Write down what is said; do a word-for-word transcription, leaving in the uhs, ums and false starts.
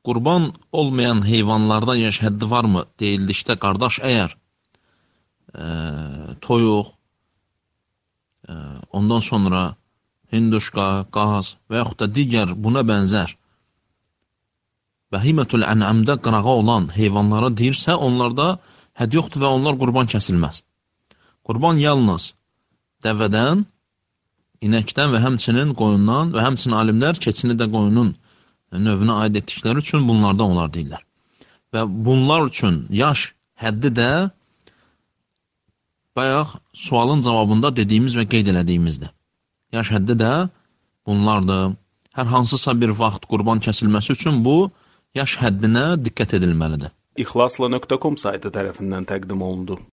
qurban olmayan heyvanlarda yaş həddi varmı deyildikdə, qardaş, əgər e, toyuq, e, ondan sonra hinduşqa, qaz və yaxud da digər buna bənzər Bəhimətül ən'amdə qırağa olan heyvanlara deyirsə, onlarda hədd yoxdur və onlar qurban kəsilməz. Qurban yalnız dəvədən, inəkdən və həmçinin qoyundan və həmçinin alimlər keçini də qoyunun növünə aid etdikləri üçün bunlardan onlar deyirlər. Və bunlar üçün yaş həddi də bayaq sualın cavabında dediyimiz və qeyd elədiyimizdir. Yaş həddi də bunlardır. Hər hansısa bir vaxt qurban kəsilməsi üçün bu yaş həddinə diqqət edilməlidir. İxlasla nöqtə com saytı tərəfindən təqdim olundu.